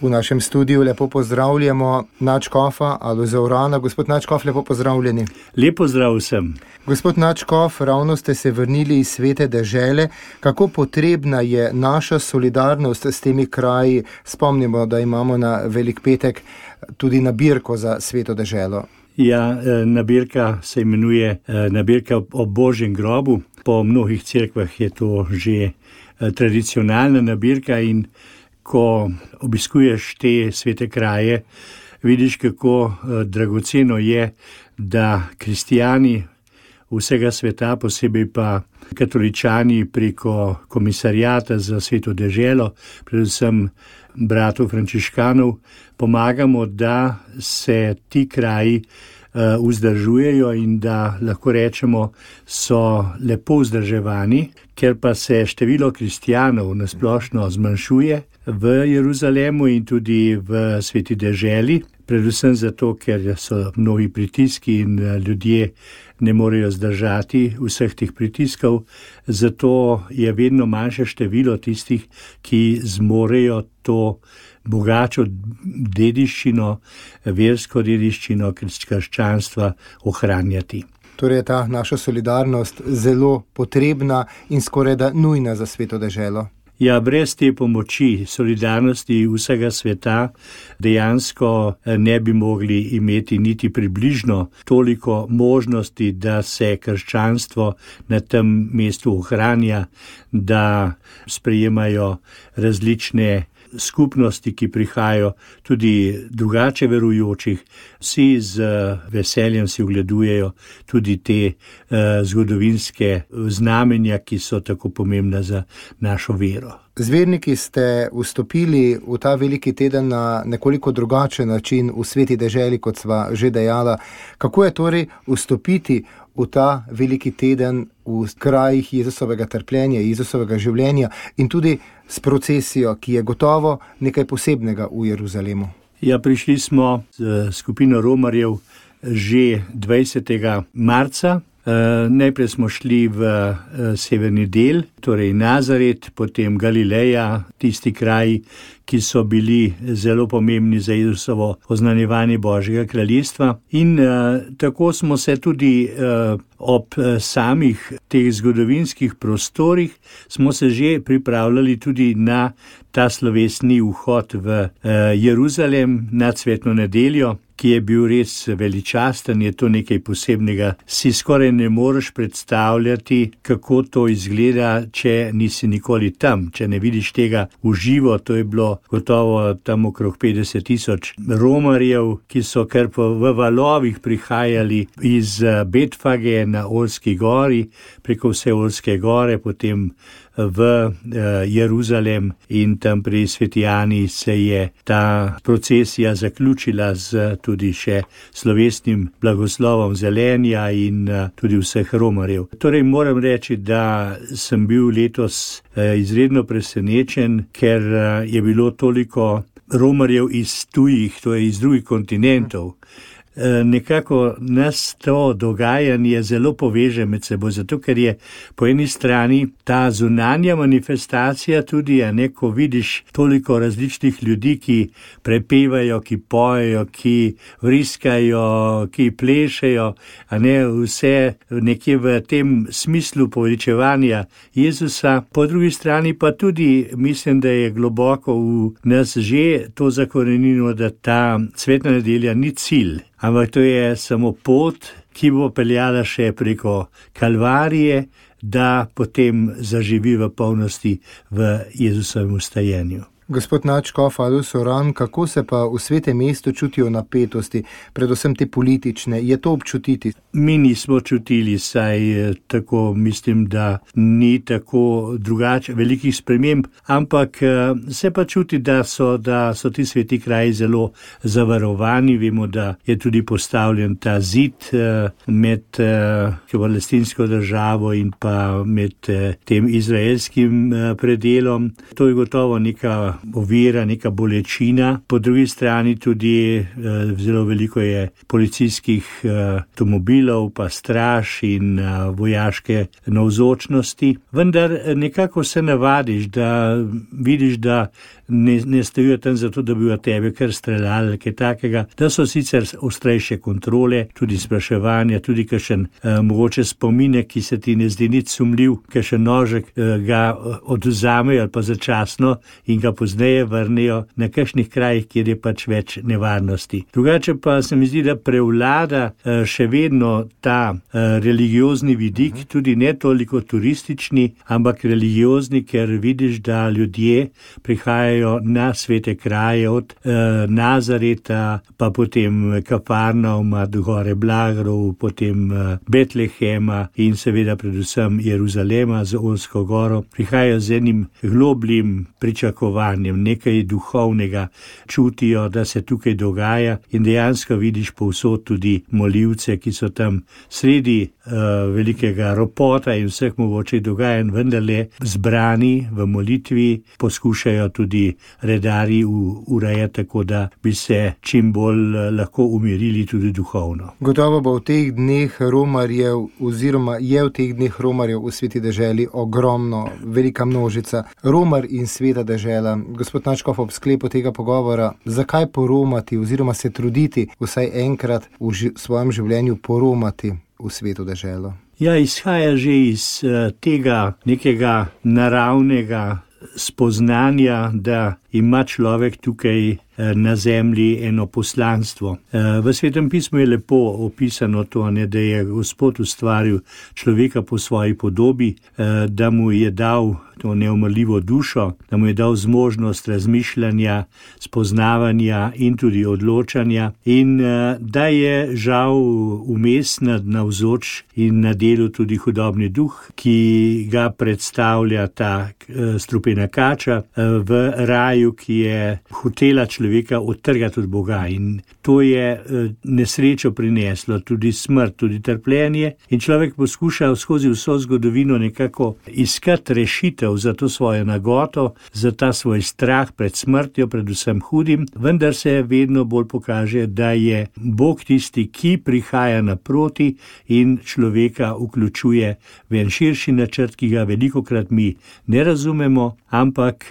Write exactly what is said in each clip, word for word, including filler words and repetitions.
V našem studiu lepo pozdravljamo nadškofa Alojza Urana. Gospod nadškof, lepo pozdravljeni. Lep pozdrav vsem. Gospod nadškof, ravno ste se vrnili iz Svete dežele. Kako potrebna je naša solidarnost s temi kraji? Spomnimo, da imamo na Velik petek tudi nabirko za Sveto deželo. Ja, nabirka se imenuje nabirka o Božjem grobu. Po mnogih cerkvah je to že tradicionalna nabirka in ko obiskuješ te svete kraje, vidiš, kako dragoceno je, da kristijani vsega sveta, posebej pa katoličani preko komisarijata za Sveto deželo, predvsem bratov frančiškanov, pomagamo, da se ti kraji vzdržujejo in da lahko rečemo, so lepo vzdrževani, ker pa se število kristijanov nasplošno zmanjšuje v Jeruzalemu in tudi v Sveti deželi, predvsem zato, ker so mnogi pritiski in ljudje ne morejo zdržati vseh teh pritiskov, zato je vedno manjše število tistih, ki zmorejo to bogačo dediščino, versko dediščino krščanstva ohranjati. Torej je ta naša solidarnost zelo potrebna in skorajda nujna za Sveto deželo. Ja, brez te pomoči, solidarnosti vsega sveta dejansko ne bi mogli imeti niti približno toliko možnosti, da se krščanstvo na tem mestu ohranja, da sprejemajo različne skupnosti, ki prihajajo, tudi drugače verujočih, vsi z veseljem si ogledujejo tudi te eh, zgodovinske znamenja, ki so tako pomembna za našo vero. Zverniki ste vstopili v ta veliki teden na nekoliko drugačen način v Sveti deželi, kot sva že dejala. Kako je torej vstopiti v ta veliki teden v krajih Jezusovega trpljenja, Jezusovega življenja in tudi s procesijo, ki je gotovo nekaj posebnega v Jeruzalemu? Ja, prišli smo z skupino romarjev že dvajsetega marca. Uh, najprej smo šli v uh, severni del, torej Nazaret, potem Galileja, tisti kraji, ki so bili zelo pomembni za Jezusovo oznanjevanje Božjega kraljestva. In uh, tako smo se tudi uh, ob uh, samih teh zgodovinskih prostorih smo se že pripravljali tudi na ta slovesni vhod v uh, Jeruzalem na Cvetno nedeljo, ki je bil res veličasten, je to nekaj posebnega. Si skoraj ne moreš predstavljati, kako to izgleda, če nisi nikoli tam, če ne vidiš tega v živo. To je bilo gotovo tam okrog petdeset tisoč romarjev, ki so kar v valovih prihajali iz Betfage na Olski gori, preko vse Olske gore, potem v Jeruzalem in tam pri Sveti Ani se je ta procesija zaključila z tudi še slovesnim blagoslovom zelenja in tudi vseh romarjev. Torej moram reči, da sem bil letos izredno presenečen, ker je bilo toliko romarjev iz tujih, to je iz drugih kontinentov. Nekako nas to dogajanje zelo poveže med seboj, zato ker je po eni strani ta zunanja manifestacija tudi, a ne, ko vidiš toliko različnih ljudi, ki prepevajo, ki pojejo, ki vriskajo, ki plešejo, a ne, vse nekje v tem smislu poveličevanja Jezusa. Po drugi strani pa tudi mislim, da je globoko v nas že to zakorenjeno, da ta Cvetna nedelja ni cilj, ampak to je samo pot, ki bo peljala še preko Kalvarije, da potem zaživi v polnosti v Jezusovem vstajenju. Gospod nadškof Alojz Uran, kako se pa v Svetem mestu čutijo napetosti, predvsem te politične? Je to občutiti? Mi nismo čutili, saj tako mislim, da ni tako drugače velikih sprememb, ampak se pa čuti, da so, da so ti sveti kraji zelo zavarovani. Vemo, da je tudi postavljen ta zid med palestinsko državo in pa med tem izraelskim predelom. To je gotovo neka ovira, neka bolečina. Po drugi strani tudi eh, zelo veliko je policijskih avtomobilov, eh, pa straž in eh, vojaške navzočnosti. Vendar nekako se navadiš, da vidiš, da ne, ne stojijo tam zato, da bi v tebe kar streljali, kaj takega, da so sicer ostrejše kontrole, tudi spraševanja, tudi kakšen eh, mogoče spominek, ki se ti ne zdi nič sumljiv, kakšen nožek eh, ga odvzamejo ali pa začasno in ga pozneje vrnejo na kakšnih krajih, kjer je pač več nevarnosti. Drugače pa se mi zdi, da prevlada eh, še vedno ta eh, religiozni vidik, tudi ne toliko turistični, ampak religiozni, ker vidiš, da ljudje prihajajo na svete kraje od eh, Nazareta, pa potem Kafarnauma, do gore Blagrov, potem eh, Betlehema in seveda predvsem Jeruzalema z Olsko goro. Prihajajo z enim globljim pričakovanjem, nekaj duhovnega, čutijo, da se tukaj dogaja in dejansko vidiš povsod tudi molivce, ki so tam sredi uh, velikega ropota in vseh mogočih dogajanj, vendarle zbrani v molitvi, poskušajo tudi redari urejati tako, da bi se čim bolj lahko umirili tudi duhovno. Gotovo bo v teh dneh romarjev oziroma je v teh dneh romarjev v sveti deželi ogromno, velika množica. Romar in sveta dežela. Gospod Nadškof, ob sklepu tega pogovora, zakaj poromati oziroma se truditi vsaj enkrat v ži- svojem življenju poromati v svetu deželo? Ja, izhaja že iz uh, tega nekega naravnega spoznanja, da ima človek tukaj na zemlji eno poslanstvo. V Svetem pismu je lepo opisano to, ne, da je Gospod ustvaril človeka po svoji podobi, da mu je dal to neumrljivo dušo, da mu je dal zmožnost razmišljanja, spoznavanja in tudi odločanja in da je žal vmes navzoč in na delu tudi hudobni duh, ki ga predstavlja ta strupena kača v raju, ki je hotela človeka odtrgati od Boga in to je nesrečo prineslo, tudi smrt, tudi trpljenje in človek poskuša skozi vso zgodovino nekako iskati rešitev za to svojo nagoto, za ta svoj strah pred smrtjo, predvsem hudim, vendar se vedno bolj pokaže, da je Bog tisti, ki prihaja naproti in človeka vključuje v en širši načrt, ki ga velikokrat mi ne razumemo, ampak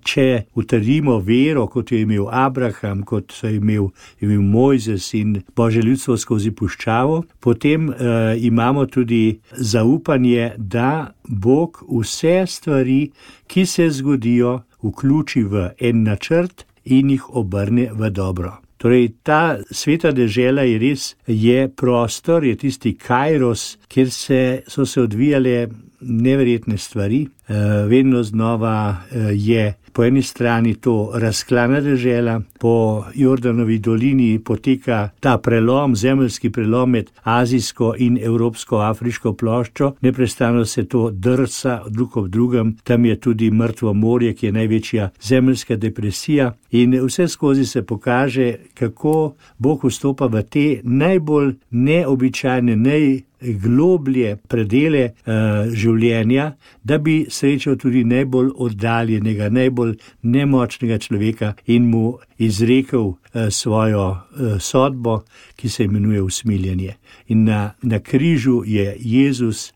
če utrdimo vero, kot jo je imel Abraham, kot so imel, imel Mojzes in Božje ljudstvo skozi puščavo, potem uh, imamo tudi zaupanje, da Bog vse stvari, ki se zgodijo, vključi v en načrt in jih obrne v dobro. Torej, ta sveta dežela je res, je prostor, je tisti kairos, kjer se, so se odvijale neverjetne stvari. E, vedno znova e, je po eni strani to razklana dežela, po Jordanovi dolini poteka ta prelom, zemeljski prelom med azijsko in evropsko-afriško ploščo, neprestano se to drsa drug ob drugem, tam je tudi mrtvo morje, ki je največja zemeljska depresija in vse skozi se pokaže, kako Bog vstopa v te najbolj neobičajne, naj globlje predele uh, življenja, da bi srečal tudi najbolj oddaljenega, najbolj nemočnega človeka in mu izrekel uh, svojo uh, sodbo, ki se imenuje usmiljenje. In na, na križu je Jezus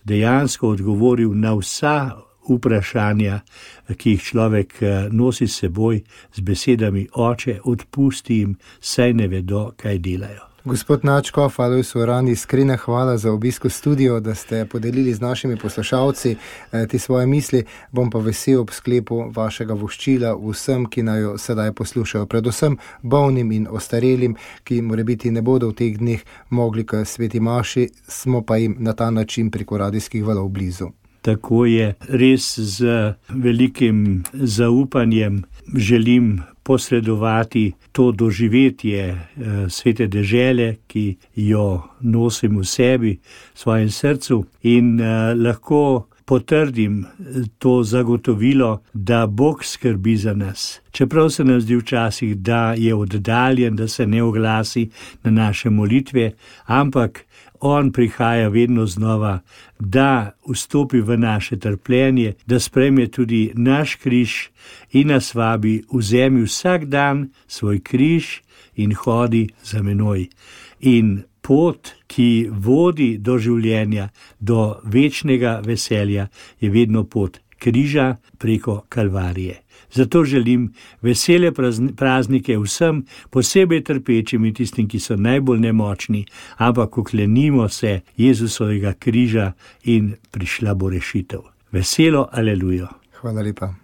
dejansko odgovoril na vsa vprašanja, ki jih človek nosi s seboj z besedami: Oče, odpusti jim, saj ne vedo, kaj delajo. Gospod Nadškof, Alojz Uran, iskrena hvala za obisk v studio, da ste podelili z našimi poslušalci te svoje misli. Bom pa vesel ob sklepu vašega voščila vsem, ki naj jo sedaj poslušajo, predvsem bolnim in ostarelim, ki morebiti ne bodo v teh dneh mogli k sveti maši, smo pa jim na ta način preko radijskih valov blizu. Tako je, res z velikim zaupanjem želim posredovati to doživetje eh, svete dežele, ki jo nosim v sebi, v svojem srcu in eh, lahko potrdim to zagotovilo, da Bog skrbi za nas. Čeprav se nam zdi včasih, da je oddaljen, da se ne oglasi na naše molitve, ampak On prihaja vedno znova, da vstopi v naše trpljenje, da sprejme tudi naš križ in nas vabi: vzemi vsak dan svoj križ in hodi za menoj. In pot, ki vodi do življenja, do večnega veselja, je vedno pot križa preko Kalvarije. Zato želim vesele praznike vsem, posebej trpečim in tistim, ki so najbolj nemočni, ampak oklenimo se Jezusovega križa in prišla bo rešitev. Veselo, alelujo. Hvala lepa.